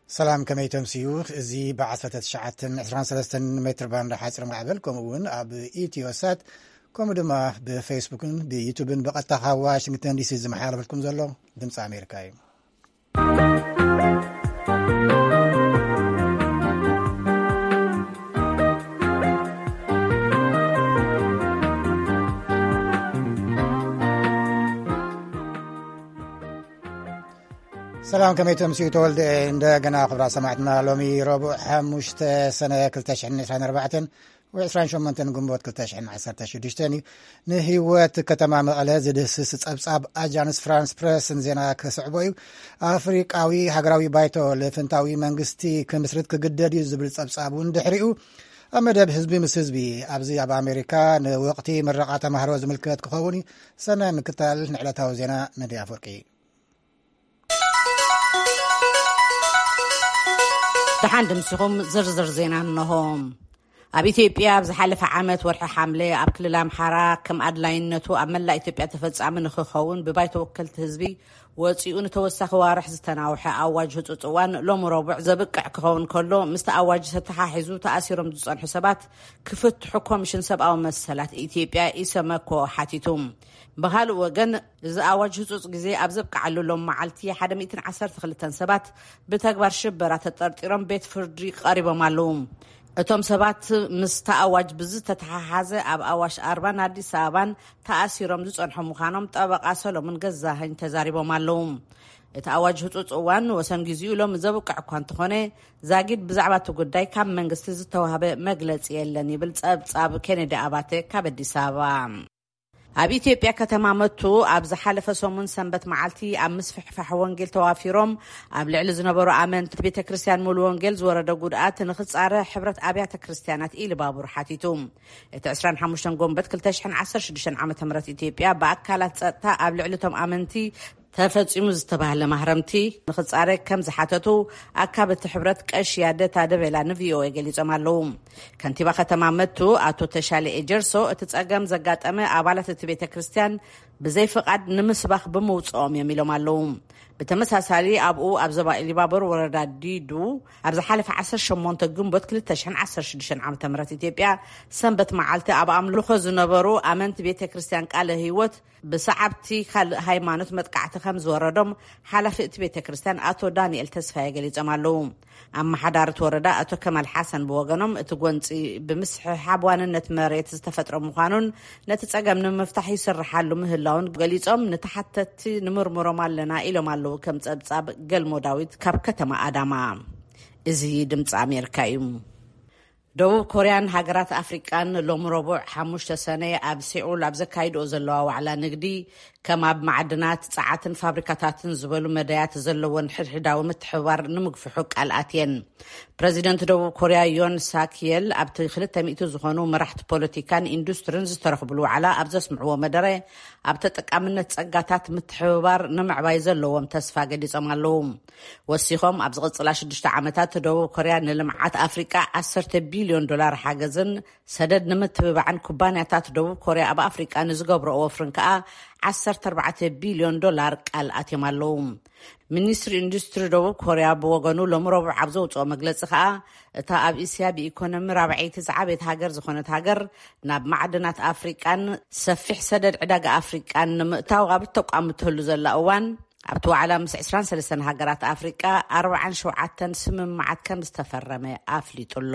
ሰላም፣ ከመይ ተምስዩ? እዚ ብ19 23 ሜትር ባንድ ሓፂር ማዕበል፣ ከምኡ እውን ኣብ ኢትዮ ሳት፣ ከምኡ ድማ ብፌስቡክን ብዩቱብን ብቐጥታ ካብ ዋሽንግተን ዲሲ ዝመሓላለፈልኩም ዘሎ ድምፂ ኣሜሪካ እዩ። ሰላም፣ ከመይ ተምስዩ? ተወልደ እንደገና። ክብራ ሰማዕትና፣ ሎሚ ረቡዕ 5 ሰነ 2024 ወይ 28 ግንቦት 2016 እዩ። ንህይወት ከተማ መቐለ ዝድህስስ ጸብጻብ ኣጃንስ ፍራንስ ፕረስን ዜና ክስዕቦ እዩ። ኣፍሪቃዊ ሃገራዊ ባይቶ ልፍንታዊ መንግስቲ ክምስርት ክግደድ እዩ ዝብል ጸብጻብ እውን ድሕሪኡ ኣብ መደብ ህዝቢ ምስ ህዝቢ ኣብዚ ኣብ ኣሜሪካ ንወቕቲ ምረቓ ተማሃሮ ዝምልከት ክኸውን እዩ። ሰናይ ምክታል። ንዕለታዊ ዜና መድያ ኣፍወርቂ። ደሓን ድምስኹም። ዝርዝር ዜና እንሆ። ኣብ ኢትዮጵያ ኣብ ዝሓለፈ ዓመት ወርሒ ሓምለ ኣብ ክልል ኣምሓራ ከም ኣድላይነቱ ኣብ መላእ ኢትዮጵያ ተፈጻሚ ንክኸውን ብባይቶ ወከልቲ ህዝቢ ወፂኡ ንተወሳኺ ዋርሕ ዝተናውሐ ኣዋጅ ህፁፅ እዋን ሎሚ ረቡዕ ዘብቅዕ ክኸውን ከሎ፣ ምስቲ ኣዋጅ ተተሓሒዙ ተኣሲሮም ዝጸንሑ ሰባት ክፍትሑ ኮሚሽን ሰብኣዊ መሰላት ኢትዮጵያ ኢሰመኮ ሓቲቱ። ብኻልእ ወገን፣ እዚ ኣዋጅ ህፁፅ ግዜ ኣብ ዘብቅዓሉ ሎም መዓልቲ 112 ሰባት ብተግባር ሽበራ ተጠርጢሮም ቤት ፍርዲ ቀሪቦም ኣለዉ። እቶም ሰባት ምስቲ ኣዋጅ ብዝተተሓሓዘ ኣብ ኣዋሽ ኣርባን ኣዲስ ኣበባን ተኣሲሮም ዝጸንሑ ምዃኖም ጠበቃ ሰሎሞን ገዛኸኝ ተዛሪቦም ኣለዉ። እቲ ኣዋጅ ህፁፅ እዋን ወሰን ግዜኡ ሎሚ ዘብቅዕ እኳ እንተኾነ፣ ዛጊድ ብዛዕባ እቲ ጉዳይ ካብ መንግስቲ ዝተዋህበ መግለጺ የለን ይብል ጸብጻብ ኬኔዲ ኣባተ ካብ ኣዲስ ኣበባ። ኣብ ኢትዮጵያ ከተማ መቱ ኣብ ዝሓለፈ ሰሙን ሰንበት መዓልቲ ኣብ ምስፍሕፋሕ ወንጌል ተዋፊሮም ኣብ ልዕሊ ዝነበሩ ኣመንቲ ቤተ ክርስቲያን ሙሉ ወንጌል ዝወረደ ጉድኣት ንኽጻረ ሕብረት ኣብያተ ክርስቲያናት ኢሉባቡር ሓቲቱ። እቲ 25 ጎንበት 2016 ዓ ም ኢትዮጵያ ብኣካላት ጸጥታ ኣብ ልዕሊ እቶም ኣመንቲ ተፈጺሙ ዝተባህለ ማህረምቲ ንኽጻረ ከም ዝሓተቱ ኣካብቲ ሕብረት ቀሺ ያደታ ደበላ ንቪኦኤ ገሊጾም ኣለዉ። ከንቲባ ከተማ መቱ ኣቶ ተሻለ ኤጀርሶ፣ እቲ ጸገም ዘጋጠመ ኣባላት እቲ ቤተ ክርስቲያን ብዘይ ፍቓድ ንምስባኽ ብምውጽኦም እዮም ኢሎም ኣለዉ። ብተመሳሳሊ፣ ኣብኡ ኣብ ዞባ ኢሊባቦር ወረዳ ዲዱ ኣብ ዝሓለፈ 18 ግንቦት 2016 ዓ ም ኢትዮጵያ ሰንበት መዓልቲ ኣብ ኣምልኾ ዝነበሩ ኣመንቲ ቤተ ክርስቲያን ቃለ ህይወት ብሰዓብቲ ካልእ ሃይማኖት መጥቃዕቲ ከም ዝወረዶም ሓላፊ እቲ ቤተ ክርስቲያን ኣቶ ዳንኤል ተስፋዬ ገሊጾም ኣለዉ። ኣመሓዳሪ እቲ ወረዳ ኣቶ ከማል ሓሰን ብወገኖም፣ እቲ ጎንጺ ብምስሕሓብ ዋንነት መሬት ዝተፈጥረ ምዃኑን ነቲ ጸገም ንምፍታሕ ይስርሓሉ ምህላውን ገሊጾም፣ ንተሓተትቲ ንምርምሮም ኣለና ኢሎም ኣለዉ። ከም ጸብጻብ ገልሞ ዳዊት ካብ ከተማ ኣዳማ። እዚ ድምፂ ኣሜሪካ እዩ። ደቡብ ኮርያን ሃገራት ኣፍሪቃን ሎም ረቡዕ 5 ሰነ ኣብ ሴኡል ኣብ ዘካይድኦ ዘለዋ ዋዕላ ንግዲ፣ ከም ኣብ ማዕድናት፣ ጸዓትን ፋብሪካታትን ዝበሉ መዳያት ዘለዎን ሕድሕዳዊ ምትሕብባር ንምግፍሑ ቃል ኣትየን። ፕረዚደንት ደቡብ ኮርያ ዮን ሳክየል ኣብቲ 200 ዝኾኑ መራሕቲ ፖለቲካን ኢንዱስትሪን ዝተረኽብሉ ዋዕላ ኣብ ዘስምዕዎ መደረ፣ ኣብ ተጠቃምነት ጸጋታት ምትሕብባር ንምዕባይ ዘለዎም ተስፋ ገሊጾም ኣለዉ። ወሲኾም፣ ኣብ ዝቕጽላ ሽዱሽተ ዓመታት ደቡብ ኮርያ ንልምዓት ኣፍሪቃ 10 ቢልዮን ዶላር ሓገዝን ሰደድ ንምትብባዕን ኩባንያታት ደቡብ ኮርያ ኣብ ኣፍሪቃ ንዝገብረኦ ወፍርን ከኣ 14 ቢልዮን ዶላር ቃል ኣትዮም ኣለዉ። ሚኒስትሪ ኢንዱስትሪ ደቡብ ኮርያ ብወገኑ ሎም ረቡዕ ኣብ ዘውፅኦ መግለፂ ከኣ፣ እታ ኣብ እስያ ብኢኮኖሚ ራብዐይቲ ዝዓበየት ሃገር ዝኾነት ሃገር ናብ ማዕድናት ኣፍሪቃን ሰፊሕ ሰደድ ዕዳጋ ኣፍሪቃን ንምእታው ኣብ እተቋምተሉ ዘላ እዋን፣ ኣብቲ ዋዕላ ምስ 23 ሃገራት ኣፍሪቃ 47 ስምምዓት ከም ዝተፈረመ ኣፍሊጡ ኣሎ።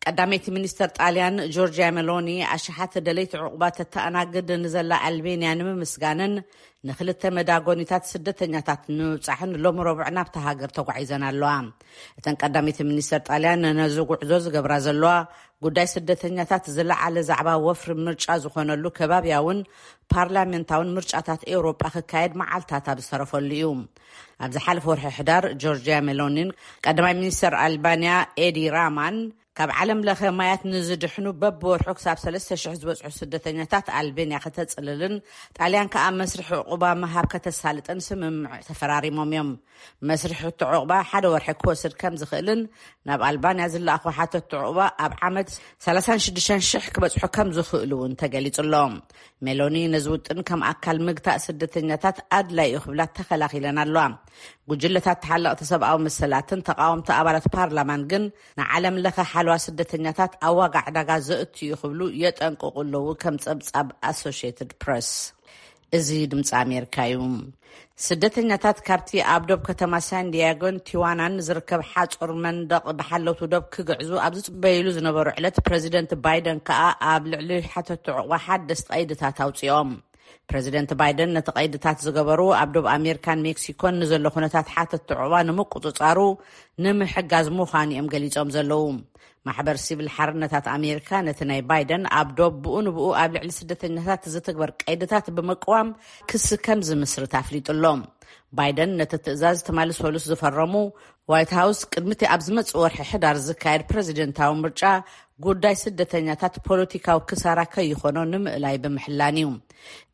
ቀዳመይቲ ሚኒስተር ጣልያን ጆርጂያ ሜሎኒ፣ ኣሽሓት ደለይቲ ዕቑባ ተተኣናግድ ንዘላ ኣልቤንያ ንምምስጋንን ንክልተ መዳጎኒታት ስደተኛታት ንምብጻሕን ሎም ረቡዕ ናብታ ሃገር ተጓዒዘን ኣለዋ። እተን ቀዳመይቲ ሚኒስተር ጣልያን ነዚ ጉዕዞ ዝገብራ ዘለዋ፣ ጉዳይ ስደተኛታት ዝለዓለ ዛዕባ ወፍሪ ምርጫ ዝኾነሉ ከባብያውን ፓርላሜንታውን ምርጫታት ኤውሮጳ ክካየድ መዓልታት ኣብ ዝተረፈሉ እዩ። ኣብ ዝሓለፈ ወርሒ ሕዳር፣ ጆርጂያ ሜሎኒን ቀዳማይ ሚኒስተር ኣልባንያ ኤዲ ራማን ካብ ዓለም ለኸ ማያት ንዝድሕኑ በብወርሑ ክሳብ ሰለስተ ሽሕ ዝበጽሑ ስደተኛታት ኣልቤንያ ከተጽልልን ጣልያን ከኣ መስርሕ ዕቑባ ምሃብ ከተሳልጥን ስምምዕ ተፈራሪሞም እዮም። መስርሕ እቲ ዕቑባ ሓደ ወርሒ ክወስድ ከም ዝኽእልን ናብ ኣልባንያ ዝለኣኹ ሓተቲ ዕቑባ ኣብ ዓመት ሰላሳን ሽዱሽተን ሽሕ ክበጽሑ ከም ዝኽእሉ እውን ተገሊጹ ኣሎ። ሜሎኒ ነዚ ውጥን ከም ኣካል ምግታእ ስደተኛታት ኣድላይ እዩ ክብላ ተኸላኺለን ኣለዋ። ጉጅለታት ተሓለቕቲ ሰብኣዊ መሰላትን ተቓወምቲ ኣባላት ፓርላማን ግን ንዓለም ለኸ ሓለዋ ስደተኛታት ኣብ ዋጋ ዕዳጋ ዘእቱ እዩ ክብሉ የጠንቅቑ ኣለዉ። ከም ጸብጻብ ኣሶሽየትድ ፕረስ። እዚ ድምፂ ኣሜሪካ እዩ። ስደተኛታት ካብቲ ኣብ ዶብ ከተማ ሳን ዲያጎን ቲዋናን ዝርከብ ሓፁር መንደቕ ብሓለውቲ ዶብ ክግዕዙ ኣብ ዝፅበይሉ ዝነበሩ ዕለት ፕረዚደንት ባይደን ከኣ ኣብ ልዕሊ ሓተቲ ዕቑባ ሓደስቲ ቀይድታት ኣውፅኦም። ፕረዚደንት ባይደን ነቲ ቀይድታት ዝገበሩ ኣብ ዶብ ኣሜሪካን ሜክሲኮን ንዘሎ ኩነታት ሓተቲ ዕቑባ ንምቁፅፃሩ ንምሕጋዝ ምዃኑ እዮም ገሊፆም ዘለዉ። ማሕበር ሲቪል ሓርነታት ኣሜሪካ ነቲ ናይ ባይደን ኣብ ዶብ ብኡ ንብኡ ኣብ ልዕሊ ስደተኛታት ዝትግበር ቀይድታት ብምቅዋም ክሲ ከም ዝምስርት ኣፍሊጡ ኣሎ። ባይደን ነቲ ትእዛዝ ትማሊ ሰሉስ ዝፈረሙ ዋይት ሃውስ ቅድሚ እቲ ኣብ ዝመጽእ ወርሒ ሕዳር ዝካየድ ፕረዚደንታዊ ምርጫ ጉዳይ ስደተኛታት ፖለቲካዊ ክሳራ ከይኾኖ ንምእላይ ብምሕላን እዩ።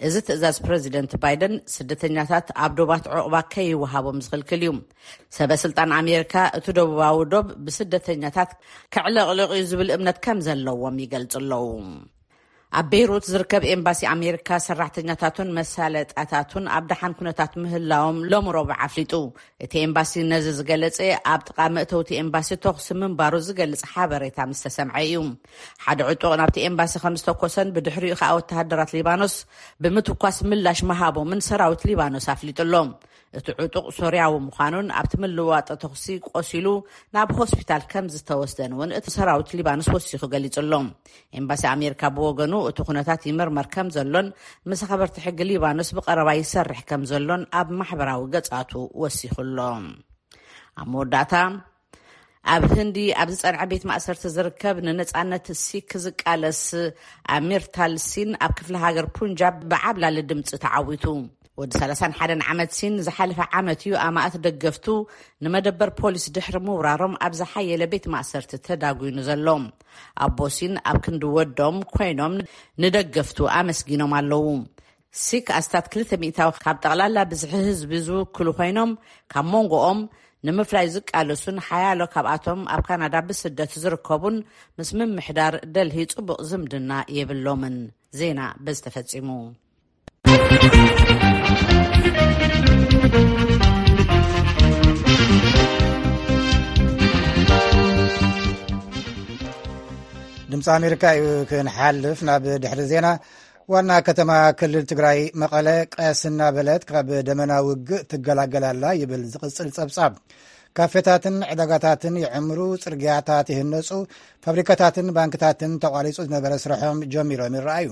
እዚ ትእዛዝ ፕረዚደንት ባይደን ስደተኛታት ኣብ ዶባት ዕቑባ ከይወሃቦም ዝኽልክል እዩ። ሰበ ስልጣን ኣሜሪካ እቲ ደቡባዊ ዶብ ብስደተኛታት ከዕለቕልቕ እዩ ዝብል እምነት ከም ዘለዎም ይገልጹ ኣለዉ። ኣብ ቤይሩት ዝርከብ ኤምባሲ ኣሜሪካ ሰራሕተኛታቱን መሳለጣታቱን ኣብ ደሓን ኩነታት ምህላዎም ሎሚ ረቡዕ ኣፍሊጡ። እቲ ኤምባሲ ነዚ ዝገለጸ ኣብ ጥቓ መእተውቲ ኤምባሲ ተኹሲ ምንባሩ ዝገልጽ ሓበሬታ ምስ ተሰምዐ እዩ። ሓደ ዕጡቕ ናብቲ ኤምባሲ ከም ዝተኮሰን ብድሕሪኡ ከኣ ወተሃደራት ሊባኖስ ብምትኳስ ምላሽ ምሃቦምን ሰራዊት ሊባኖስ ኣፍሊጡ ኣሎ። እቲ ዕጡቕ ሶርያዊ ምዃኑን ኣብቲ ምልዋጥ ተኹሲ ቆሲሉ ናብ ሆስፒታል ከም ዝተወስደን እውን እቲ ሰራዊት ሊባኖስ ወሲኹ ገሊጹ ኣሎ። ኤምባሲ ኣሜሪካ ብወገኑ እቲ ኩነታት ይምርመር ከም ዘሎን ምስ ኣኽበርቲ ሕጊ ሊባኖስ ብቐረባ ይሰርሕ ከም ዘሎን ኣብ ማሕበራዊ ገጻቱ ወሲኹ ኣሎ። ኣብ መወዳእታ ኣብ ህንዲ ኣብ ዝጸንዐ ቤት ማእሰርቲ ዝርከብ ንነጻነት ሲክ ዝቃለስ ኣሚር ታልሲን ኣብ ክፍለ ሃገር ፑንጃብ ብዓብላሊ ድምጺ ተዓዊቱ። ወዲ ሰላሳን ሓደን ዓመት ሲን ዝሓለፈ ዓመት እዩ ኣማእት ደገፍቱ ንመደበር ፖሊስ ድሕሪ ምውራሮም ኣብ ዝሓየለ ቤት ማእሰርቲ ተዳጒኑ ዘሎ። ኣቦ ሲን ኣብ ክንዲ ወዶም ኮይኖም ንደገፍቱ ኣመስጊኖም ኣለዉ። ሲክ ኣስታት ክልተ ሚእታዊ ካብ ጠቕላላ ብዝሒ ህዝቢ ዝውክሉ ኮይኖም ካብ መንጎኦም ንምፍላይ ዝቃለሱን ሓያሎ ካብኣቶም ኣብ ካናዳ ብስደት ዝርከቡን ምስ ምምሕዳር ደልሂ ጽቡቕ ዝምድና የብሎምን። ዜና በዚ ተፈጺሙ። ድምፂ ኣሜሪካ እዩ። ክንሓልፍ ናብ ድሕሪ ዜና። ዋና ከተማ ክልል ትግራይ መቐለ ቀስ እናበለት ካብ ደመና ውግእ ትገላገል ኣላ ይብል ዝቕጽል ጸብጻብ። ካፌታትን ዕዳጋታትን ይዕምሩ፣ ጽርግያታት ይህነጹ፣ ፋብሪካታትን ባንክታትን ተቋሪጹ ዝነበረ ስርሖም ጀሚሮም ይረኣዩ።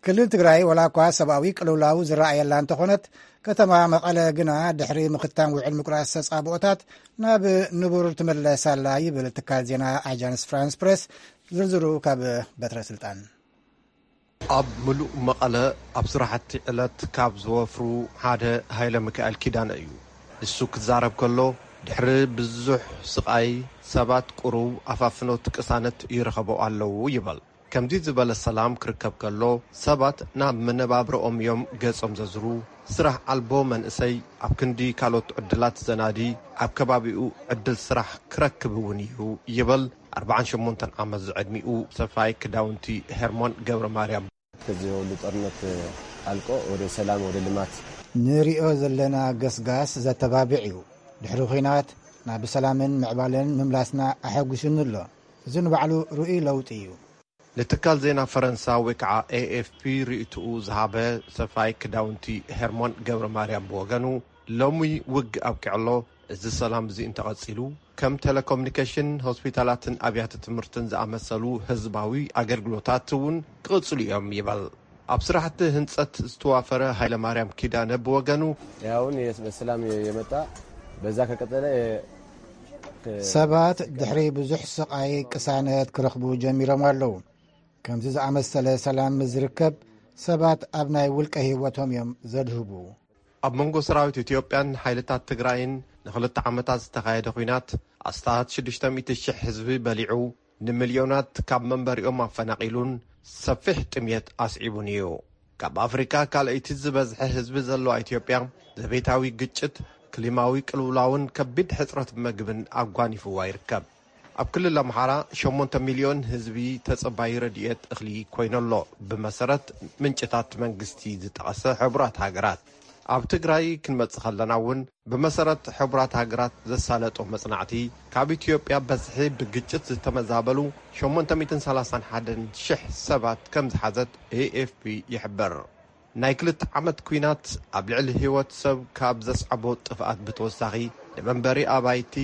ክልል ትግራይ ወላ እኳ ሰብኣዊ ቅልውላው ዝረኣየላ እንተኾነት፣ ከተማ መቐለ ግና ድሕሪ ምኽታም ውዕል ምቁራጽ ተጻብኦታት ናብ ንቡር ትምለስ ኣላ ይብል ትካል ዜና ኣጃንስ ፍራንስ ፕሬስ። ዝርዝሩ ካብ በትረ ስልጣን። ኣብ ምሉእ መቐለ ኣብ ስራሕቲ ዕለት ካብ ዝወፍሩ ሓደ ሃይለ ሚካኤል ኪዳነ እዩ። ንሱ ክዛረብ ከሎ፣ ድሕሪ ብዙሕ ስቓይ ሰባት ቁሩብ ኣፋፍኖት ቅሳነት ይረኸቡ ኣለዉ ይበል። ከምዚ ዝበለ ሰላም ክርከብ ከሎ፣ ሰባት ናብ መነባብሮኦም እዮም ገጾም ዘዝሩ። ስራሕ ኣልቦ መንእሰይ ኣብ ክንዲ ካልኦት ዕድላት ዘናዲ፣ ኣብ ከባቢኡ ዕድል ስራሕ ክረክብ እውን እዩ ይበል። ኣርባዓን ሸሞንተን ዓመት ዝዕድሚኡ ሰፋይ ክዳውንቲ ሄርሞን ገብረ ማርያም። ከዚ ሁሉ ጦርነት ኣልቆ ወደ ሰላም፣ ወደ ልማት። ንሪኦ ዘለና ገስጋስ ዘተባብዕ እዩ። ድሕሪ ኲናት ናብ ሰላምን ምዕባለን ምምላስና ኣሐጒሱኒ ኣሎ። እዚ ንባዕሉ ርኡይ ለውጢ እዩ። ንትካል ዜና ፈረንሳ ወይ ከዓ ኤ ኤፍ ፒ ርእይትኡ ዝሃበ ሰፋይ ክዳውንቲ ሄርሞን ገብረ ማርያም ብወገኑ፣ ሎሚ ውግእ ኣብቂዑ ኣሎ። እዚ ሰላም እዚ እንተቐጺሉ፣ ከም ቴሌኮሙኒኬሽን፣ ሆስፒታላትን ኣብያተ ትምህርትን ዝኣመሰሉ ህዝባዊ ኣገልግሎታት እውን ክቕጽሉ እዮም ይበል። ኣብ ስራሕቲ ህንጸት ዝተዋፈረ ሃይለማርያም ኪዳነ ብወገኑ፣ ያው አሁን የስ-፣ በሰላም የመጣ በዛ ከቀጠለ የ-፣ ከ-፣ ሰባት ድሕሪ ብዙሕ ስቓይ ቅሳነት ክረኽቡ ጀሚሮም ኣለዉ። ከምዚ ዝኣመሰለ ሰላም ምስ ዝርከብ፣ ሰባት ኣብ ናይ ውልቀ ህይወቶም እዮም ዘድህቡ። ኣብ መንጎ ሰራዊት ኢትዮጵያን ሓይልታት ትግራይን ንኽልተ ዓመታት ዝተኻየደ ኲናት ኣስታት ሽዱሽተ ሚእቲ ሽሕ ህዝቢ በሊዑ፣ ንሚልዮናት ካብ መንበሪኦም ኣፈናቒሉን ሰፊሕ ጥምየት ኣስዒቡን እዩ። ካብ ኣፍሪካ ካልኣይቲ ዝበዝሐ ህዝቢ ዘለዋ ኢትዮጵያ፣ ዘቤታዊ ግጭት፣ ክሊማዊ ቅልውላውን ከቢድ ሕጽረት መግብን ኣጓኒፍዋ ይርከብ። ኣብ ክልል ኣምሓራ ሸሞንተ ሚልዮን ህዝቢ ተጸባዪ ረድኤት እኽሊ ኮይኑ'ሎ፣ ብመሰረት ምንጭታት መንግስቲ ዝጠቐሰ ሕቡራት ሃገራት። ኣብ ትግራይ ክንመጽእ ከለና እውን፣ ብመሰረት ሕቡራት ሃገራት ዘሳለጦ መጽናዕቲ፣ ካብ ኢትዮጵያ በዝሒ ብግጭት ዝተመዛበሉ ሸሞንተ ሚእትን ሰላሳን ሓደን ሽሕ ሰባት ከም ዝሓዘት ኤ ኤፍ ፒ ይሕብር። ናይ ክልተ ዓመት ኲናት ኣብ ልዕሊ ህይወት ሰብ ካብ ዘስዓቦ ጥፍኣት ብተወሳኺ፣ ንመንበሪ ኣባይቲ፣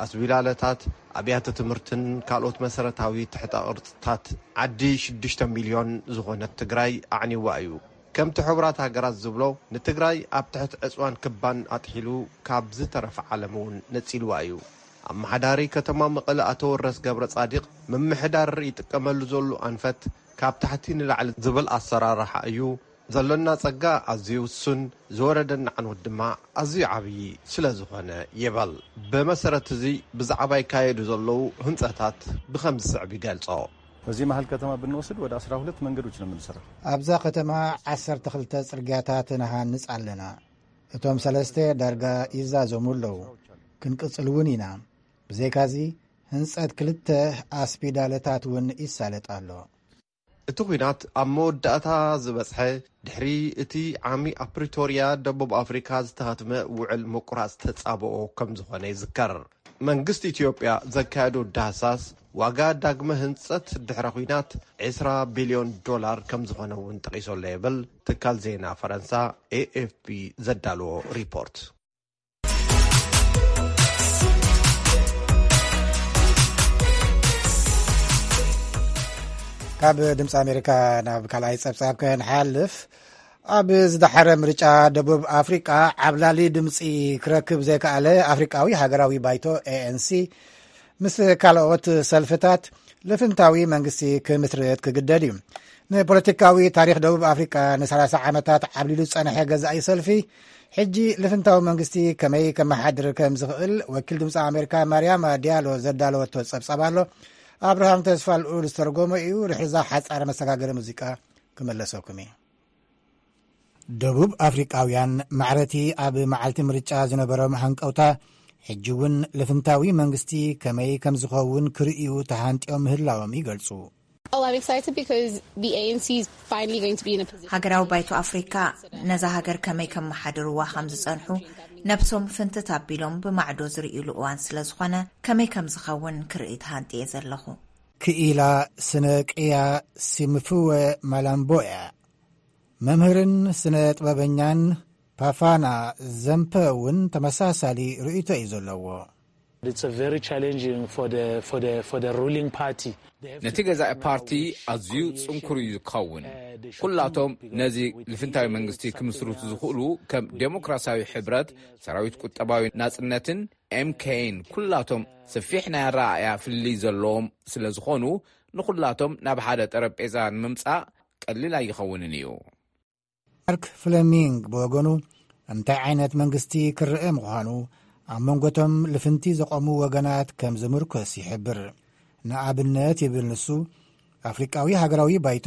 ኣስዊላለታት፣ ኣብያተ ትምህርትን ካልኦት መሰረታዊ ትሕተ ቅርጽታት ዓዲ ሽዱሽተ ሚልዮን ዝኾነት ትግራይ ኣዕንይዋ እዩ። ከምቲ ሕቡራት ሃገራት ዝብሎ፣ ንትግራይ ኣብ ትሕቲ ዕጽዋን ክባን ኣጥሒሉ ካብ ዝተረፈ ዓለም እውን ነጺልዋ እዩ። ኣመሓዳሪ ከተማ መቐለ ኣቶ ወረስ ገብረ ጻዲቕ፣ ምምሕዳር ይጥቀመሉ ዘሎ ኣንፈት ካብ ታሕቲ ንላዕሊ ዝብል ኣሰራርሓ እዩ። ዘሎና ጸጋ ኣዝዩ ውሱን፣ ዝወረደና ዕንወት ድማ ኣዝዩ ዓብዪ ስለ ዝኾነ ይበል። ብመሰረት እዚ ብዛዕባ ይካየዱ ዘለዉ ህንጸታት ብኸም ዝስዕብ ይገልጾ። በዚህ መሀል ከተማ ብንወስድ ወደ አስራ ሁለት መንገዶች ነው የምንሰራው። ኣብዛ ከተማ ዓሰርተ ክልተ ጽርግያታት ንሃንጽ ኣለና። እቶም ሰለስተ ዳርጋ ይዛዘሙ ኣለዉ። ክንቅጽል እውን ኢና። ብዘይካዚ ህንጸት ክልተ ኣስፒዳለታት እውን ይሳለጥ ኣሎ። እቲ ኲናት ኣብ መወዳእታ ዝበጽሐ ድሕሪ እቲ ዓሚ ኣብ ፕሪቶርያ ደቡብ ኣፍሪካ ዝተኸትመ ውዕል ምቁራጽ ተጻብኦ ከም ዝኾነ ይዝከር። መንግስቲ ኢትዮጵያ ዘካየዶ ዳህሳስ ዋጋ ዳግመ ህንጸት ድሕረ ኲናት ዕስራ ቢልዮን ዶላር ከም ዝኾነ እውን ጠቒሱ ኣሎ ይብል ትካል ዜና ፈረንሳ ኤ ኤፍ ፒ ዘዳለዎ ሪፖርት። ካብ ድምፂ ኣሜሪካ ናብ ካልኣይ ፀብፃብ ክንሓልፍ፣ ኣብ ዝደሓረ ምርጫ ደቡብ ኣፍሪቃ ዓብላሊ ድምፂ ክረክብ ዘይከኣለ ኣፍሪቃዊ ሃገራዊ ባይቶ ኤ ኤን ሲ ምስ ካልኦት ሰልፍታት ልፍንታዊ መንግስቲ ክምስርት ክግደድ እዩ። ንፖለቲካዊ ታሪኽ ደቡብ ኣፍሪቃ ንሰላሳ ዓመታት ዓብሊሉ ዝጸንሐ ገዛኢ ሰልፊ፣ ሕጂ ልፍንታዊ መንግስቲ ከመይ ከመሓድር ከም ዝኽእል ወኪል ድምፂ ኣሜሪካ ማርያማ ዲያሎ ዘዳለወቶ ጸብጻብ ኣሎ። ኣብርሃም ተስፋ ልኡል ዝተርጎሞ እዩ። ርሕዛ ሓጻረ መሰጋገሪ ሙዚቃ ክመለሰኩም እዩ። ደቡብ ኣፍሪቃውያን ማዕረቲ ኣብ መዓልቲ ምርጫ ዝነበሮም ሃንቀውታ፣ ሕጂ እውን ልፍንታዊ መንግስቲ ከመይ ከም ዝኸውን ክርእዩ ተሃንጥዮም ምህላዎም ይገልጹ። Oh, I'm excited because the A N C is finally going to be in a position. ሃገራዊ ባይቶ ኣፍሪካ ነዛ ሃገር ከመይ ከመሓድርዋ ከም ዝጸንሑ ነብሶም ፍንትት ኣቢሎም ብማዕዶ ዝርእይሉ እዋን ስለ ዝኾነ፣ ከመይ ከም ዝኸውን ክርኢ ተሃንጥየ ዘለኹ። ክኢላ ስነ ቅያ ሲምፍወ ማላምቦያ፣ መምህርን ስነ ጥበበኛን ፓፋና ዘምፐ እውን ተመሳሳሊ ርእይቶ እዩ ዘለዎ። It's a very challenging for the, for the, for the ruling party. They have ነቲ ገዛኢ ፓርቲ ኣዝዩ ጽንኩር እዩ ዝኸውን። ኩላቶም ነዚ ልፍንታዊ መንግስቲ ክምስርቱ ዝኽእሉ ከም ዴሞክራሲያዊ ሕብረት፣ ሰራዊት ቁጠባዊ ናጽነትን ኤምኬን ኩላቶም ሰፊሕ ናይ ኣረኣእያ ፍልልይ ዘለዎም ስለ ዝኾኑ፣ ንኹላቶም ናብ ሓደ ጠረጴዛ ንምምጻእ ቀሊል ኣይኸውንን እዩ። ማርክ ፍለሚንግ ብወገኑ፣ እንታይ ዓይነት መንግስቲ ክረአ ምዃኑ ኣብ መንጎቶም ልፍንቲ ዘቖሙ ወገናት ከም ዝምርኮስ ይሕብር። ንኣብነት ይብል ንሱ፣ ኣፍሪቃዊ ሃገራዊ ባይቶ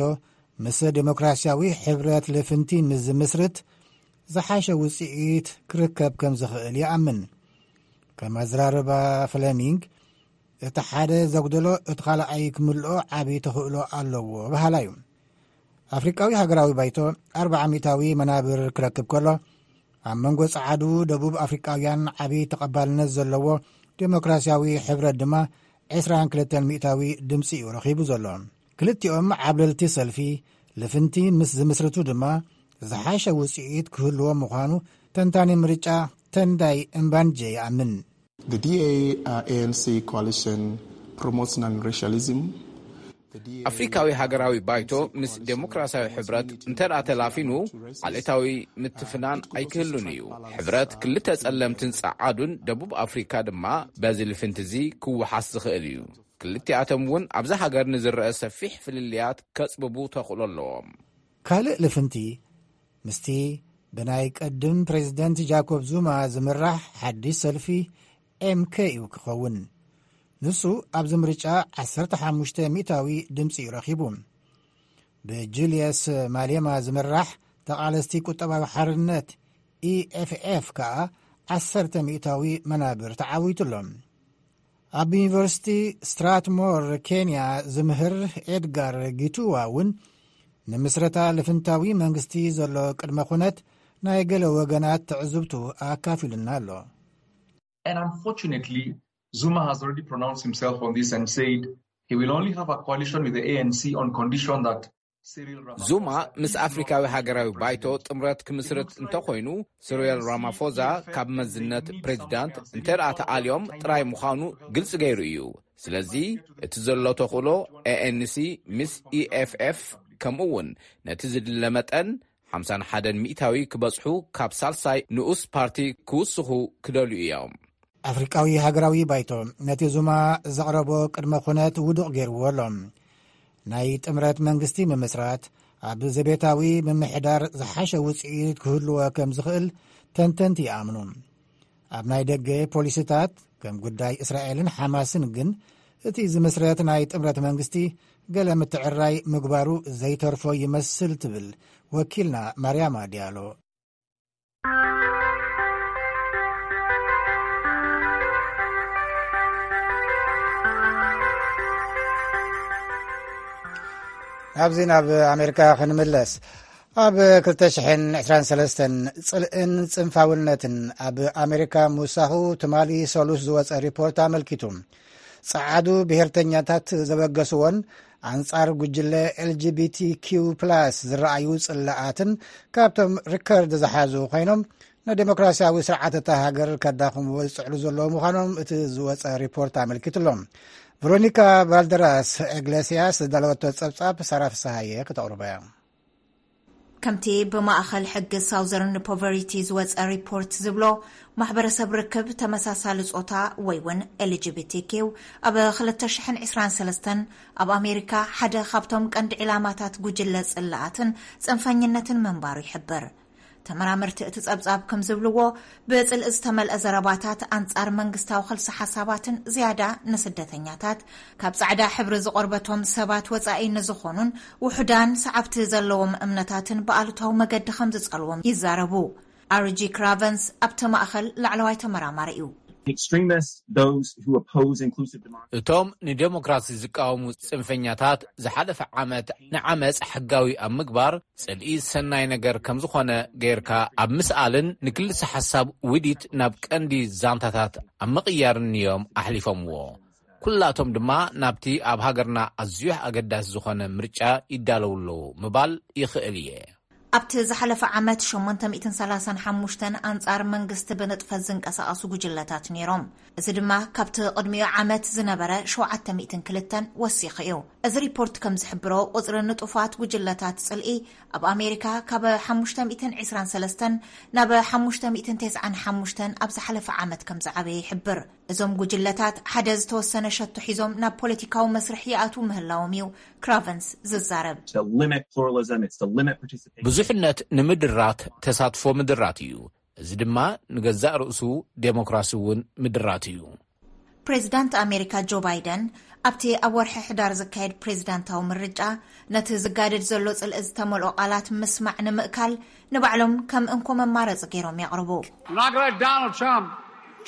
ምስ ዴሞክራሲያዊ ሕብረት ልፍንቲ ምስ ዝምስርት ዝሓሸ ውጽኢት ክርከብ ከም ዝኽእል ይኣምን። ከም ኣዘራርባ ፍለሚንግ፣ እቲ ሓደ ዘጉደሎ እቲ ካልኣይ ክምልኦ ዓቢ ተኽእሎ ኣለዎ በሃላ እዩ። ኣፍሪቃዊ ሃገራዊ ባይቶ ኣርብዓ ሚእታዊ መናብር ክረክብ ከሎ፣ ኣብ መንጎ ጸዓዱ ደቡብ ኣፍሪቃውያን ዓቢ ተቐባልነት ዘለዎ ዴሞክራሲያዊ ሕብረት ድማ ዕስራን ክልተን ሚእታዊ ድምጺ እዩ ረኺቡ ዘሎ። ክልቲኦም ዓብለልቲ ሰልፊ ልፍንቲ ምስ ዝምስርቱ ድማ ዝሓሸ ውጽኢት ክህልዎ ምዃኑ ተንታኒ ምርጫ ተንዳይ እምባንጀ ይኣምን። The D A, uh, A N C coalition promotes non-racialism. The D A ኣፍሪካዊ ሃገራዊ ባይቶ ምስ ዴሞክራሲያዊ ሕብረት እንተ ደኣ ተላፊኑ፣ ዓሌታዊ ምትፍናን ኣይክህሉን እዩ። ሕብረት ክልተ ጸለምትን ጸዓዱን ደቡብ ኣፍሪካ ድማ በዚ ልፍንቲ እዚ ክወሓስ ዝኽእል እዩ። ክልቲኣቶም እውን ኣብዛ ሃገር ንዝረአ ሰፊሕ ፍልልያት ከጽብቡ ተኽእሎ ኣለዎም። ካልእ ልፍንቲ ምስቲ ብናይ ቀድም ፕሬዚደንት ጃኮብ ዙማ ዝምራሕ ሓድሽ ሰልፊ ኤም ኬ እዩ ክኸውን። ንሱ ኣብዚ ምርጫ ዓሰርተ ሓሙሽተ ሚእታዊ ድምፂ እዩ ረኺቡ። ብጁልየስ ማሌማ ዝምራሕ ተቓለስቲ ቁጠባዊ ሓርነት ኢኤፍኤፍ ከኣ ዓሰርተ ሚእታዊ መናብር ተዓዊቱ ኣሎ። ኣብ ዩኒቨርሲቲ ስትራትሞር ኬንያ ዝምህር ኤድጋር ጊቱዋ እውን ንምስረታ ልፍንታዊ መንግስቲ ዘሎ ቅድመ ኩነት ናይ ገለ ወገናት ትዕዝብቱ ኣካፊሉና ኣሎ። And unfortunately, Zuma has already pronounced himself on this and said he will only have a coalition with the A N C on condition that Cyril Ramaphosa. ዙማ ምስ ኣፍሪካዊ ሃገራዊ ባይቶ ጥምረት ክምስርት እንተኮይኑ፣ ስሪል ራማፎዛ ካብ መዝነት ፕሬዚዳንት እንተ ደኣ ተኣልዮም ጥራይ ምዃኑ ግልፂ ገይሩ እዩ። ስለዚ እቲ ዘሎ ተኽእሎ ኤኤንሲ ምስ ኢኤፍኤፍ ከምኡ እውን ነቲ ዝድለ መጠን ሓምሳን ሓደን ሚእታዊ ክበጽሑ ካብ ሳልሳይ ንኡስ ፓርቲ ክውስኹ ክደልዩ እዮም። ኣፍሪቃዊ ሃገራዊ ባይቶ ነቲ ዙማ ዘቕረቦ ቅድመ ኩነት ውዱቕ ገይርዎ ኣሎ። ናይ ጥምረት መንግስቲ ምምስራት ኣብ ዘቤታዊ ምምሕዳር ዝሓሸ ውፅኢት ክህልዎ ከም ዝኽእል ተንተንቲ ይኣምኑ። ኣብ ናይ ደገ ፖሊሲታት ከም ጉዳይ እስራኤልን ሓማስን ግን እቲ ዝምስረት ናይ ጥምረት መንግስቲ ገለ ምትዕራይ ምግባሩ ዘይተርፎ ይመስል ትብል ወኪልና ማርያማ ዲያሎ። ኣብዚ ናብ ኣሜሪካ ክንምለስ። ኣብ ክልተ ሽሕን ዕስራን ሰለስተን ጽልእን ጽንፋውነትን ኣብ ኣሜሪካ ምውሳኹ ትማሊ ሰሉስ ዝወጸ ሪፖርት ኣመልኪቱ። ጸዓዱ ብሄርተኛታት ዘበገስዎን ኣንጻር ጉጅለ ኤልጂቢቲኪው ፕላስ ዝረኣዩ ጽላኣትን ካብቶም ሪከርድ ዝሓዙ ኮይኖም ንዴሞክራሲያዊ ስርዓት እታ ሃገር ከዳኽምዎ ዝጽዕሉ ዘለዉ ምዃኖም እቲ ዝወጸ ሪፖርት ኣመልኪቱ ኣሎ። ቨሮኒካ ባልደራስ ኢግሌሲያስ ዝዳለወቶ ጸብጻብ ሳራ ፍስሃየ ክተቕርቦ እያ። ከምቲ ብማእኸል ሕጊ ሳውዘርን ፖቨሪቲ ዝወፀ ሪፖርት ዝብሎ፣ ማሕበረሰብ ርክብ ተመሳሳሊ ጾታ ወይ እውን ኤልጂቢቲኪው ኣብ ክልተ ሽሕን ዕስራን ሰለስተን ኣብ ኣሜሪካ ሓደ ካብቶም ቀንዲ ዕላማታት ጉጅለ ጽላኣትን ጽንፈኝነትን ምንባሩ ይሕብር። ተመራመርቲ እቲ ጸብጻብ ከም ዝብልዎ፣ ብጽልኢ ዝተመልአ ዘረባታት ኣንጻር መንግስታዊ ኸልሲ ሓሳባትን ዝያዳ ንስደተኛታት፣ ካብ ጻዕዳ ሕብሪ ዝቆርበቶም ሰባት ወጻኢ ንዝኾኑን ውሑዳን ሰዓብቲ ዘለዎም እምነታትን ብኣሉታዊ መገዲ ከም ዝጸልዎም ይዛረቡ። ኣርጂ ክራቨንስ ኣብቲ ማእኸል ላዕለዋይ ተመራማሪ እዩ። Extremists, those who oppose inclusive democracy. እቶም ንዴሞክራሲ ዝቃወሙ ጽንፈኛታት ዝሓለፈ ዓመት ንዓመጽ ሕጋዊ ኣብ ምግባር ጽልኢ ሰናይ ነገር ከም ዝኾነ ገይርካ ኣብ ምስኣልን ንክልሰ ሓሳብ ውዲት ናብ ቀንዲ ዛንታታት ኣብ ምቕያርን እዮም ኣሕሊፎምዎ። ኩላቶም ድማ ናብቲ ኣብ ሃገርና ኣዝዩ ኣገዳሲ ዝኾነ ምርጫ ይዳለዉ ኣለዉ ምባል ይኽእል እየ። ኣብቲ ዝሓለፈ ዓመት ሸሞንተ ሚእትን ሰላሳን ሓሙሽተን ኣንጻር መንግስቲ ብንጥፈት ዝንቀሳቐሱ ጉጅለታት ነይሮም። እዚ ድማ ካብቲ ቅድሚኡ ዓመት ዝነበረ ሸውዓተ ሚእትን ክልተን ወሲኹ እዩ። እዚ ሪፖርት ከም ዝሕብሮ፣ ቁጽሪ ንጡፋት ጉጅለታት ጽልኢ ኣብ ኣሜሪካ ካብ ሓሙሽተ ሚእትን ዕስራን ሰለስተን ናብ ሓሙሽተ ሚእትን ተስዓን ሓሙሽተን ኣብ ዝሓለፈ ዓመት ከም ዝዓበየ ይሕብር። እዞም ጉጅለታት ሓደ ዝተወሰነ ሸቶ ሒዞም ናብ ፖለቲካዊ መስርሕ ይኣትዉ ምህላዎም እዩ ክራቨንስ ዝዛረብ። To limit pluralism, it's to limit participation. ብዙሕነት ንምድራት ተሳትፎ ምድራት እዩ። እዚ ድማ ንገዛእ ርእሱ ዴሞክራሲ እውን ምድራት እዩ። ፕሬዚዳንት ኣሜሪካ ጆ ባይደን ኣብቲ ኣብ ወርሒ ሕዳር ዝካየድ ፕሬዚዳንታዊ ምርጫ ነቲ ዝጋደድ ዘሎ ጽልኢ ዝተመልኦ ቃላት ምስማዕ ንምእካል ንባዕሎም ከም እንኮ መማረጺ ገይሮም የቕርቡ። We're not going to let Donald Trump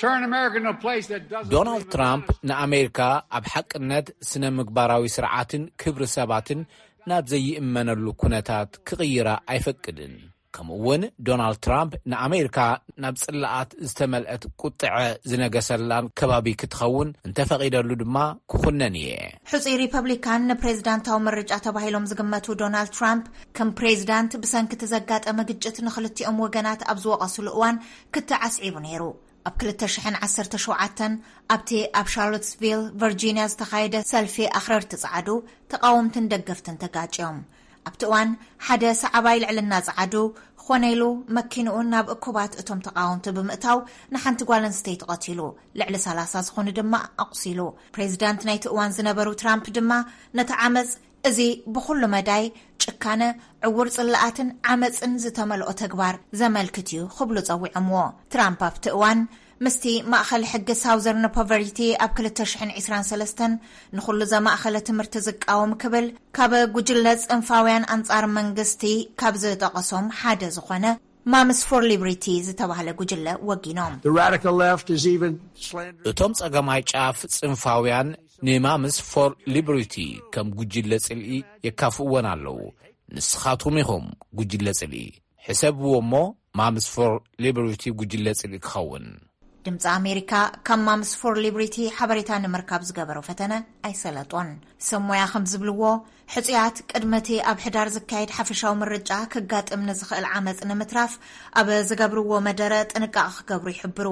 turn America into a place that doesn't ዶናልድ believe in ትራምፕ America. ንኣሜሪካ ኣብ ሓቅነት፣ ስነ ምግባራዊ ስርዓትን ክብሪ ሰባትን ናብ ዘይእመነሉ ኩነታት ክቕይራ ኣይፈቅድን። ከምኡ እውን ዶናልድ ትራምፕ ንኣሜሪካ ናብ ጽላኣት ዝተመልአት ቁጥዐ ዝነገሰላን ከባቢ ክትኸውን እንተፈቒደሉ ድማ ክኹነን እየ። ሕጹይ ሪፐብሊካን ንፕሬዚዳንታዊ ምርጫ ተባሂሎም ዝግመቱ ዶናልድ ትራምፕ፣ ከም ፕሬዚዳንት ብሰንኪ እቲ ዘጋጠመ ግጭት ንኽልቲኦም ወገናት ኣብ ዝወቐስሉ እዋን ክትዕ ኣስዒቡ ነይሩ። ኣብ ክልተ ሽሕን ዓሰርተ ሸውዓተን ኣብቲ ኣብ ሻርሎትስቪል ቨርጂንያ ዝተኻየደ ሰልፊ ኣኽረርቲ ጸዓዱ ተቓወምትን ደገፍትን ተጋጭዮም። ኣብቲ እዋን ሓደ ሰዓባይ ልዕልና ጸዓዱ ኾነ ኢሉ መኪንኡ ናብ እኩባት እቶም ተቓወምቲ ብምእታው ንሓንቲ ጓል ኣንስተይቲ ቀቲሉ፣ ልዕሊ ሰላሳ ዝኾኑ ድማ ኣቑሲሉ። ፕሬዚዳንት ናይቲ እዋን ዝነበሩ ትራምፕ ድማ ነቲ ዓመጽ፣ እዚ ብኹሉ መዳይ ጭካነ፣ ዕውር ጽላኣትን ዓመጽን ዝተመልኦ ተግባር ዘመልክት እዩ ክብሉ ጸዊዖምዎ። ትራምፕ ኣብቲ እዋን ምስቲ ማእኸል ሕጊ ሳውዘርን ፖቨሪቲ ኣብ ክልተ ሽሕን ዕስራን ሰለስተን ንኹሉ ዘማእኸለ ትምህርቲ ዝቃወም ክብል ካብ ጉጅለ ጽንፋውያን ኣንጻር መንግስቲ ካብ ዝጠቐሶም ሓደ ዝኾነ ማምስ ፎር ሊብሪቲ ዝተባህለ ጉጅለ ወጊኖም። The radical left is even slandering እቶም ጸገማይ ጫፍ ጽንፋውያን ንማምስ ፎር ሊብሪቲ ከም ጉጅለ ጽልኢ የካፍእወን ኣለዉ። ንስኻትኩም ኢኹም ጉጅለ ጽልኢ። ሕሰብዎ እሞ ማምስ ፎር ሊብሪቲ ጉጅለ ጽልኢ ክኸውን። ድምፂ ኣሜሪካ ካብ ማምስ ፎር ሊብሪቲ ሓበሬታ ንምርካብ ዝገበሮ ፈተነ ኣይሰለጦን። ሰብ ሞያ ከም ዝብልዎ፣ ሕፁያት ቅድሚ እቲ ኣብ ሕዳር ዝካየድ ሓፈሻዊ ምርጫ ክጋጥም ንዝኽእል ዓመፅ ንምትራፍ ኣብ ዝገብርዎ መደረ ጥንቃቐ ክገብሩ ይሕብሩ።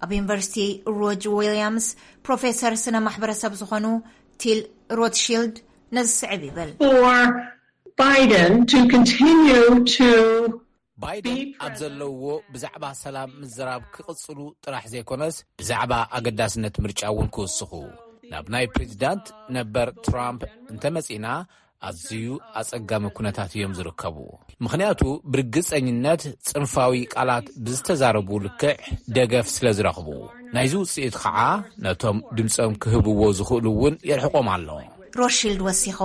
ኣብ ዩኒቨርሲቲ ሮጅ ዊልያምስ ፕሮፌሰር ስነ ማሕበረሰብ ዝኾኑ ቲል ሮትሺልድ ነዚ ስዕብ ይብል። For Biden to continue to ባይደን ኣብ ዘለውዎ ብዛዕባ ሰላም ምዝራብ ክቕጽሉ ጥራሕ ዘይኮነስ፣ ብዛዕባ ኣገዳስነት ምርጫ እውን ክውስኹ። ናብ ናይ ፕሬዚዳንት ነበር ትራምፕ እንተመጺእና፣ ኣዝዩ ኣጸጋሚ ኩነታት እዮም ዝርከቡ። ምኽንያቱ፣ ብርግጸኝነት ጽንፋዊ ቃላት ብዝተዛረቡ ልክዕ ደገፍ ስለ ዝረኽቡ። ናይዚ ውጽኢት ኸዓ፣ ነቶም ድምጾም ክህብዎ ዝኽእሉ እውን የርሕቖም ኣሎ። ሮሽልድ ወሲኹ፣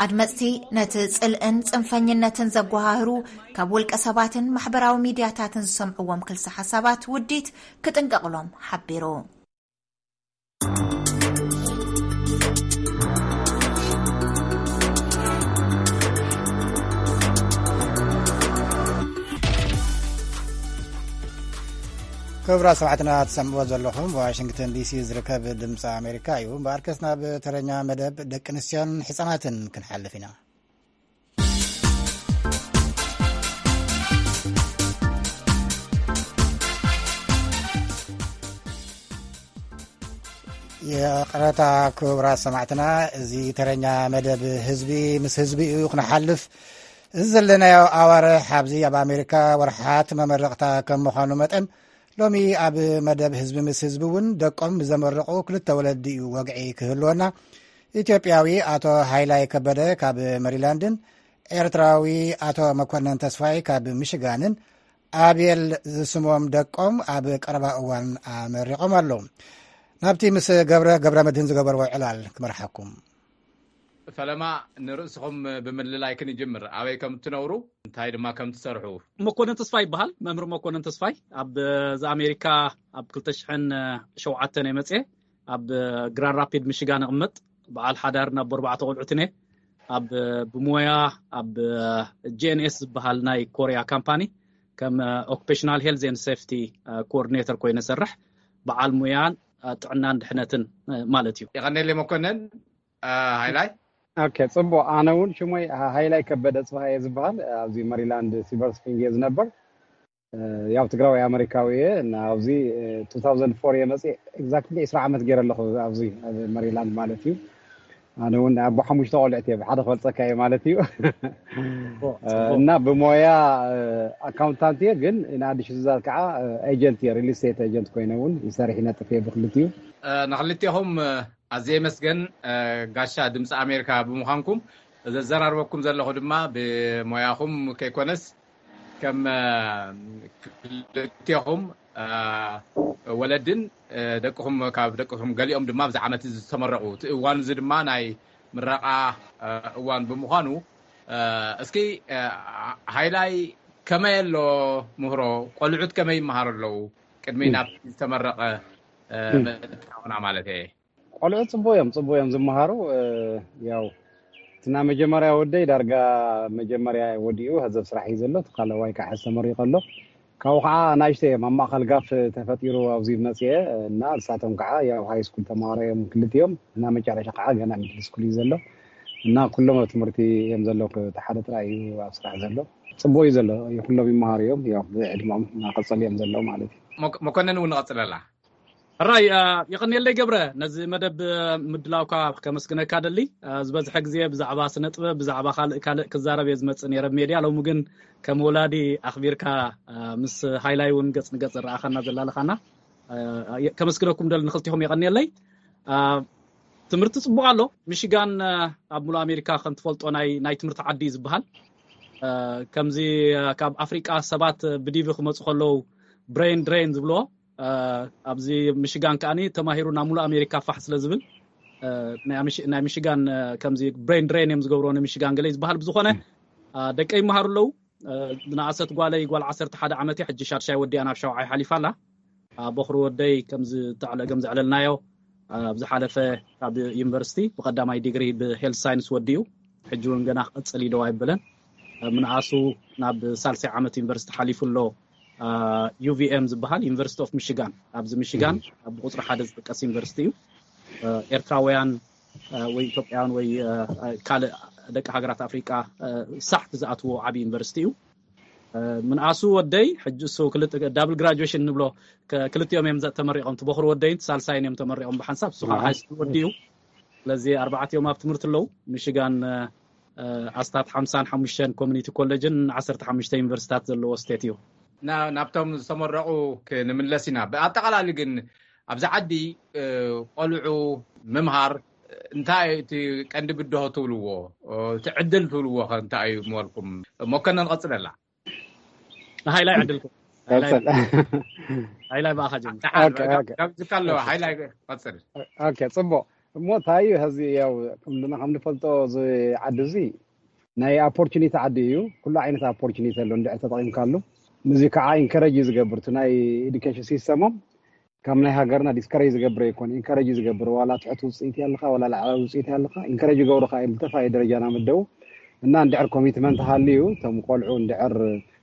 ኣድመጽቲ ነቲ ጽልእን ጽንፈኝነትን ዘጓሃህሩ ካብ ውልቀ ሰባትን ማሕበራዊ ሚድያታትን ዝሰምዕዎም ክልሰ ሓሳባት ውዲት ክጥንቀቕሎም ሓቢሩ። ክቡራት ሰማዕትና፣ ትሰምዕዎ ዘለኹም ዋሽንግተን ዲሲ ዝርከብ ድምፂ ኣሜሪካ እዩ። እምበኣርከስ ናብ ተረኛ መደብ ደቂ ኣንስትዮን ህፃናትን ክንሓልፍ ኢና። ይቕረታ ክቡራት ሰማዕትና፣ እዚ ተረኛ መደብ ህዝቢ ምስ ህዝቢ እዩ ክንሓልፍ። እዚ ዘለናዮ ኣዋርሕ ኣብዚ ኣብ ኣሜሪካ ወርሓት መመረቕታ ከም ምዃኑ መጠን፣ ሎሚ ኣብ መደብ ህዝቢ ምስ ህዝቢ እውን ደቆም ብዘመረቑ ክልተ ወለዲ እዩ ወግዒ ክህልወና። ኢትዮጵያዊ ኣቶ ሃይላይ ከበደ ካብ መሪላንድን ኤርትራዊ ኣቶ መኮነን ተስፋይ ካብ ሚሽጋንን ኣቤል ዝስሞም ደቆም ኣብ ቀረባ እዋን ኣመሪቖም ኣለዉ። ናብቲ ምስ ገብረ፣ ገብረ መድህን ዝገበርዎ ዕላል ክመርሓኩም። ፈለማ ንርእስኹም ብምልላይ ክንጅምር። ኣበይ ከም እትነብሩ፣ እንታይ ድማ ከም ትሰርሑ። መኮነን ተስፋይ ይበሃል። መምህር መኮነን ተስፋይ ኣብ፣ እዚ ኣሜሪካ ኣብ ክልተ ሽሕን ሸውዓተን እየ መጽየ። ኣብ ግራንድ ራፒድ ሚሽጋን እቕመጥ። በዓል ሓዳር ናብ ኣርባዕተ ቆልዑትን እየ። ኣብ ብሞያ ኣብ ጂ ኤን ኤስ ዝበሃል ናይ ኮርያ ካምፓኒ ከም ኦኩፔሽናል ሄልዝ ኤንድ ሴፍቲ ኮኦርዲኔተር ኮይነ ሰርሕ። በዓል ሙያን ጥዕናን ድሕነትን ማለት እዩ። የቐኔለይ መኮነን። አ፣ ሃይላይ። ኦኬ፣ ጽቡቕ። ኣነ እውን ሽሞይ ሃ-፣ ሃይላይ ከበደ ጽባህ እየ ዝበሃል። ኣብዚ መሪላንድ ሲልቨር ስፕሪንግ እየ ዝነበር። እ፣ ያው ትግራዋይ ኣመሪካዊ እየ እና ኣብዚ፣ እ፣ ቱ ታውዘንድ ፎር እየ መጽእ። ኤግዛክትሊ ዕስራ ዓመት ገይረ ኣለኹ ኣብዚ ኣብ መሪላንድ ማለት እዩ። ኣነ እውን ኣቦ ሓሙሽተ ቆልዕት እየ፣ ሓደ ክበልጸካ እየ ማለት እዩ። ጽቡቕ፣ እ፣ ጽቡቕ። እና ብሞያ፣ እ፣ ኣካውንታንት እየ፣ ግን ንኣዲስ ዝዛር ከዓ፣ እ፣ ኤጀንት እየ፣ ሪል ስቴት ኤጀንት ኮይነ እውን ይሰርሕ ይነጥፍ እየ ብክልቲኡ። እ፣ ንክልቴኹም፣ እ፣ ኣዝየ የመስገን፣ እ፣ ጋሻ ድምፂ ኣሜሪካ ብምዃንኩም። ዘዘራርበኩም ዘለኹ ድማ ብሞያኹም ከይኮነስ ከም፣ እ፣ ክልቴኹም፣ እ፣ ወለድን፣ እ፣ ደቅኹም፣ ካብ ደቅኹም ገሊኦም ድማ ኣብዚ ዓመት እዚ ዝተመረቑ፣ እቲ እዋን እዚ ድማ ናይ ምረቓ፣ እ፣ እዋን ብምዃኑ፣ እ፣ እስኪ፣ እ፣ ሃይላይ ከመይ ኣሎ ምህሮ? ቆልዑት ከመይ ይመሃሩ ኣለዉ? ቅድሚ ም። ናብ ዝተመረቐ፣ እ፣ ም። ምእታውና ማለት እየ። ቆልዑ ጽቡቅ እዮም፣ ጽቡቅ እዮም ዝመሃሩ። እ፣ ያው፣ እቲ ናይ መጀመርያ ወደይ ዳርጋ መጀመርያ ወዲኡ፣ ሀዘብ ስራሕ እዩ ዘሎ። እቲ ካልኣዋይ ከዓ ሕዚ ተመሪቁ ኣሎ። ካብኡ ከዓ ናእሽተይ እዮም፣ ኣብ ማእከል ጋፍ ተፈጢሩ ኣብዚ መጽየ እና ንሳቶም ከዓ ያው ሃይ ስኩል ተማሃሮ እዮም ክልቲኦም እና መጨረሻ ከዓ ገና ሚድል ስኩል እዩ ዘሎ እና ኩሎም ኣብ ትምህርቲ እዮም ዘለዉ። እቲ ሓደ ጥራይ እዩ ኣብ ስራሕ ዘሎ። ጽቡቅ እዩ ዘሎ፣ ኩሎም ይመሃሩ እዮም። ያው ብዕድመኦም እናቀጸሉ እዮም ዘለዉ ማለት እዩ። መኮ-፣ መኮነን እውን ንቐጽለላ። ሕራይ፣ አ፣ የቐንየለይ ገብረ፣ ነዚ መደብ ምድላውካ ከመስግነካ ደሊ። አ፣ ዝበዝሐ ግዜ ብዛዕባ ስነ ጥበብ፣ ብዛዕባ ካልእ ካልእ ክዛረብ እየ ዝመጽእ ነይረ ኣብ ሜድያ። ሎሚ ግን ከም ወላዲ ኣኽቢርካ፣ አ፣ ምስ ሃይላይ እውን ገጽ ንገጽ ዝረኣኻና ዘላለኻና፣ አ፣ የ-፣ ከመስግነኩም ደሊ ንኽልቲኹም የቐንየለይ። አ፣ ትምህርቲ ጽቡቕ ኣሎ። ሚሽጋን፣ አ፣ ኣብ ሙሉእ ኣሜሪካ ከም ትፈልጦ ናይ፣ ናይ ትምህርቲ ዓዲ እዩ ዝበሃል። አ፣ ከምዚ፣ አ፣ ካብ ኣፍሪቃ ሰባት ብዲቪ ክመጹ ከለዉ ብሬን ድሬን ዝብልዎ፣ ኣብዚ ምሽጋን ከዓኒ ተማሂሩ ናብ ሙሉእ ኣሜሪካ ፋሕ ስለ ዝብል ናይ ሚሽጋን ከምዚ ብሬን ድሬን እዮም ዝገብርዎ ንሚሽጋን ገለ ዝበሃል ብዝኾነ ደቀ ይመሃሩ ኣለዉ። ዝነኣሰት ጓለይ ጓል ዓሰርተ ሓደ ዓመት እያ፣ ሕጂ ሻድሻይ ወዲኣ ናብ ሻውዓይ ሓሊፋ ኣላ። በኹሪ ወደይ ከምዚ ተዕለ ከም ዘዕለልናዮ ኣብ ዝሓለፈ ካብ ዩኒቨርሲቲ ብቐዳማይ ዲግሪ ብሄልት ሳይንስ ወዲኡ፣ ሕጂ እውን ገና ክቕፅል ኢደው ኣይበለን። ምንኣሱ ናብ ሳልሳይ ዓመት ዩኒቨርሲቲ ሓሊፉ ኣሎ። ዩቪኤም ዝበሃል ዩኒቨርሲቲ ኦፍ ሚሽጋን፣ ኣብዚ ሚሽጋን ብቁፅሪ ሓደ ዝጥቀስ ዩኒቨርሲቲ እዩ። ኤርትራውያን ወይ ኢትዮጵያውያን ወይ ካልእ ደቂ ሃገራት ኣፍሪቃ ሳሕቲ ዝኣትዎ ዓብዪ ዩኒቨርሲቲ እዩ። ምንኣሱ ወደይ ሕጂ እሱ ክልተ ዳብል ግራጁዌሽን ንብሎ፣ ክልቲኦም እዮም ተመሪቖም፣ ትበኽሩ ወደይን ሳልሳይን እዮም ተመሪቖም ብሓንሳብ። እሱ ከዓ ሃይስኩል ወዲኡ። ስለዚ ኣርባዕቲኦም ኣብ ትምህርቲ ኣለዉ። ሚሽጋን ኣስታት ሓምሳን ሓሙሽተን ኮሚኒቲ ኮሌጅን ዓሰርተ ሓሙሽተ ዩኒቨርሲታት ዘለዎ ስቴት እዩ። ናብቶም ዝተመረቑ ክንምለስ ኢና። ብኣጠቓላሊ ግን ኣብዚ ዓዲ ቆልዑ ምምሃር እንታይ እቲ ቀንዲ ብድሆ ትብልዎ፣ እቲ ዕድል ትብልዎ ከ እንታይ እዩ ምበልኩም? መኮነን ቀፅለላ። ንሃይላይ ዕድልኩም። ሃይላይ ብኣኻ ጀምር። ካብዚ ካሎ ሃይላይ ቀፅል። ኦኬ፣ ፅቡቅ። እሞ እንታይ እዩ ሀዚ ያው ከምና ከም ንፈልጦ እዚ ዓዲ እዚ ናይ ኦፖርቹኒቲ ዓዲ እዩ። ኩሉ ዓይነት ኦፖርቹኒቲ ኣሎ እንድዕር ተጠቂምካሉ። ንዚ ከዓ ኢንከረጅ እዩ ዝገብር እቲ ናይ ኤዱኬሽን ሲስተሞም ካብ ናይ ሃገርና ዲስከሬጅ ዝገብር ኣይኮን፣ ኢንከረጅ ዝገብር። ዋላ ትሕቲ ውፅኢት ኣለካ ዋላ ላዕላዊ ውፅኢት ኣለካ ኢንከረጅ ይገብሩካ እዮም ዝተፋየ ደረጃ ናመደቡ። እና እንድሕር ኮሚትመንት ሃልዩ እቶም ቆልዑ እንድሕር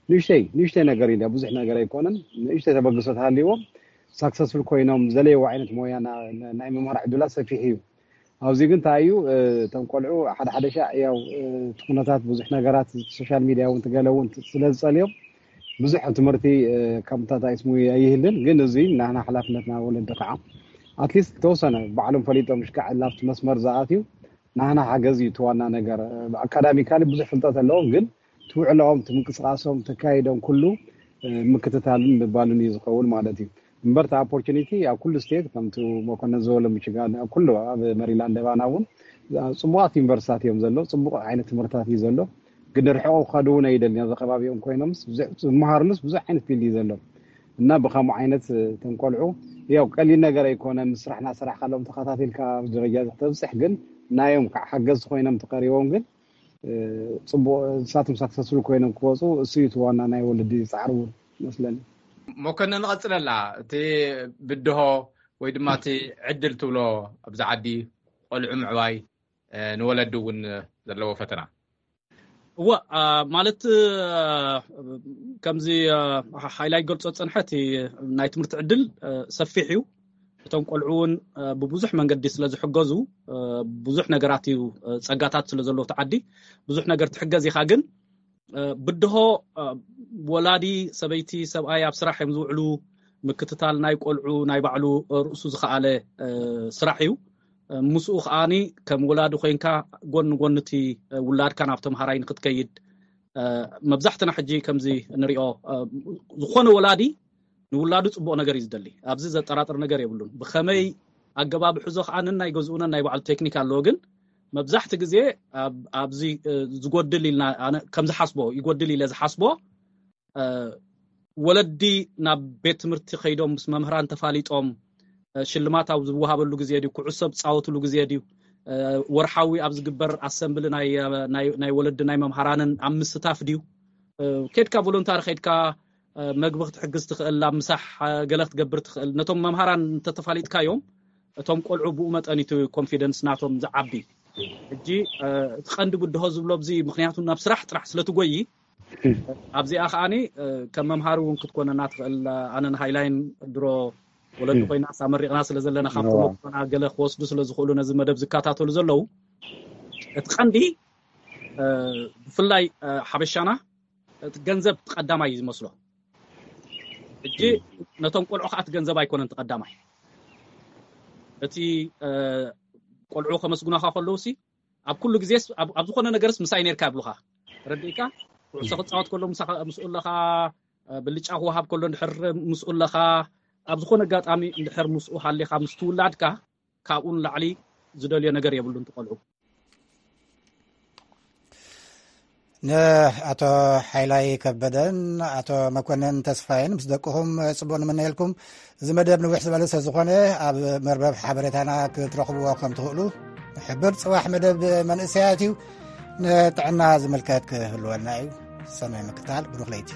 ንእሽተይ ንእሽተይ ነገር ኢለ ብዙሕ ነገር ኣይኮነን፣ ንእሽተይ ተበግሶ ተሃልይዎም ሳክሰስፉል ኮይኖም ዘለየዎ ዓይነት ሞያ ናይ ምምሃር ዕድላት ሰፊሕ እዩ። ኣብዚ ግን እንታይ እዩ እቶም ቆልዑ ሓደ ሓደ ሻዕ ያው እቲ ኩነታት ብዙሕ ነገራት ሶሻል ሚድያ እውን ትገለ እውን ስለ ዝፀልዮም ብዙሕ ትምህርቲ ከምታት ኣይስሙ ኣይህልን። ግን እዚ ናህና ሓላፍነትና ወለዲ ከዓ ኣትሊስት ተወሰነ ባዕሎም ፈሊጦም ሽካዕ ላብቲ መስመር ዝኣትዩ ናህና ሓገዝ እዩ እቲ ዋና ነገር። ኣካዳሚካሊ ብዙሕ ፍልጠት ኣለዎም ግን ትውዕለኦም ትምንቅስቃሶም ተካይዶም ኩሉ ምክትታልን ምባልን እዩ ዝኸውን ማለት እዩ። እምበር እቲ ኦፖርቹኒቲ ኣብ ኩሉ ስቴት ከምቲ መኮነን ዝበሎ ሚችጋን ኣብ ኩሉ ኣብ መሪላንድ ባና እውን ፅቡቃት ዩኒቨርሲታት እዮም ዘሎ። ፅቡቅ ዓይነት ትምህርታት እዩ ዘሎ። ግን ርሕቆ ክኸዱ እውን ኣይደልን ኣብዚ ከባቢኦም ኮይኖምስ ዝመሃርሉስ ብዙሕ ዓይነት ፊልድ እዩ ዘሎ። እና ብከምኡ ዓይነት ተንቆልዑ ያው ቀሊል ነገር ኣይኮነ ምስ ስራሕና ስራሕ ካልኦም ተኸታቲልካ ደረጃ ተብፅሕ ግን ናዮም ከዓ ሓገዝቲ ኮይኖም ተቀሪቦም ግን ፅቡቅ ንሳቶም ሳክሰስፉል ኮይኖም ክወፁ እሱ እዩ ዋና ናይ ወለዲ ፃዕሪ እውን መስለኒ። መኮነን ንቐፅለላ እቲ ብድሆ ወይ ድማ እቲ ዕድል ትብሎ ኣብዚ ዓዲ ቆልዑ ምዕባይ ንወለዲ እውን ዘለዎ ፈተና። እወ ማለት ከምዚ ሃይላይ ገልፆ ፀንሐ እቲ ናይ ትምህርቲ ዕድል ሰፊሕ እዩ። እቶም ቆልዑ እውን ብብዙሕ መንገዲ ስለ ዝሕገዙ ብዙሕ ነገራት እዩ ፀጋታት ስለ ዘለዎ እቲ ዓዲ ብዙሕ ነገር ትሕገዝ ኢኻ። ግን ብድሆ ወላዲ ሰበይቲ ሰብኣይ ኣብ ስራሕ እዮም ዝውዕሉ። ምክትታል ናይ ቆልዑ ናይ ባዕሉ ርእሱ ዝኸኣለ ስራሕ እዩ። ምስኡ ከዓኒ ከም ወላዲ ኮይንካ ጎን ጎን እቲ ውላድካ ናብ ተምሃራይ ንክትከይድ መብዛሕትና ሕጂ ከምዚ ንሪኦ ዝኾነ ወላዲ ንውላዱ ፅቡቕ ነገር እዩ ዝደሊ። ኣብዚ ዘጠራጥር ነገር የብሉን። ብኸመይ ኣገባብ ሕዞ ከዓ ነናይ ገዝኡነን ናይ ባዕሉ ቴክኒክ ኣለዎ። ግን መብዛሕቲ ግዜ ኣብዚ ዝጎድል ኢልና ከም ዝሓስቦ ይጎድል ኢለ ዝሓስቦ ወለዲ ናብ ቤት ትምህርቲ ከይዶም ምስ መምህራን ተፋሊጦም ሽልማት ኣብ ዝወሃበሉ ግዜ ድዩ፣ ኩዕሶ ዝፃወትሉ ግዜ ድዩ፣ ወርሓዊ ኣብ ዝግበር ኣሰምብሊ ናይ ወለዲ ናይ መምሃራንን ኣብ ምስታፍ ድዩ፣ ከድካ ቮሎንታሪ ከድካ መግቢ ክትሕግዝ ትኽእል ኣብ ምሳሕ ገለ ክትገብር ትኽእል ነቶም መምሃራን እንተተፋሊጥካዮም እቶም ቆልዑ ብኡ መጠን እቲ ኮንፊደንስ ናቶም ዝዓቢ። ሕጂ እቲ ቀንዲ ብድሆ ዝብሎ ኣብዚ ምክንያቱ ናብ ስራሕ ጥራሕ ስለትጎይ ኣብዚኣ ከዓኒ ከም መምሃሪ እውን ክትኮነና ትኽእል። ኣነ ንሃይላይን ድሮ ወለዲ ኮይና ሳመሪቕና ስለ ዘለና ካብቶም ገለ ክወስዱ ስለ ዝኽእሉ ነዚ መደብ ዝከታተሉ ዘለዉ እቲ ቀንዲ ብፍላይ ሓበሻና እቲ ገንዘብ ቀዳማይ እዩ ዝመስሎ። ሕጂ ነቶም ቆልዑ ከዓ እቲ ገንዘብ ኣይኮነን እቲ ቀዳማይ። እቲ ቆልዑ ከመስግናኻ ከለውሲ ኣብ ኩሉ ግዜስ ኣብ ዝኾነ ነገርስ ምሳይ ነርካ ይብሉኻ። ረዲእካ ኩዕሶ ክፃወት ከሎ ምስኡ ኣለኻ፣ ብልጫ ክወሃብ ከሎ እንድሕር ምስኡ ኣለኻ፣ ኣብ ዝኾነ ኣጋጣሚ እንድሕር ምስኡ ሃሊኻ ምስ ትውላድካ ካብኡ ንላዕሊ ዝደልዮ ነገር የብሉን ትቆልዑ። ንኣቶ ሓይላይ ከበደን ኣቶ መኮንን ተስፋይን ምስ ደቅኹም ጽቡቕ ንምነየልኩም። እዚ መደብ ንዊሕ ዝበለ ስለ ዝኾነ ኣብ መርበብ ሓበሬታና ክትረኽብዎ ከም ትኽእሉ ንሕብር። ጽባሕ መደብ መንእሰያት እዩ። ንጥዕና ዝምልከት ክህልወና እዩ። ሰናይ ምክታል፣ ብሩኽ ለይቲ።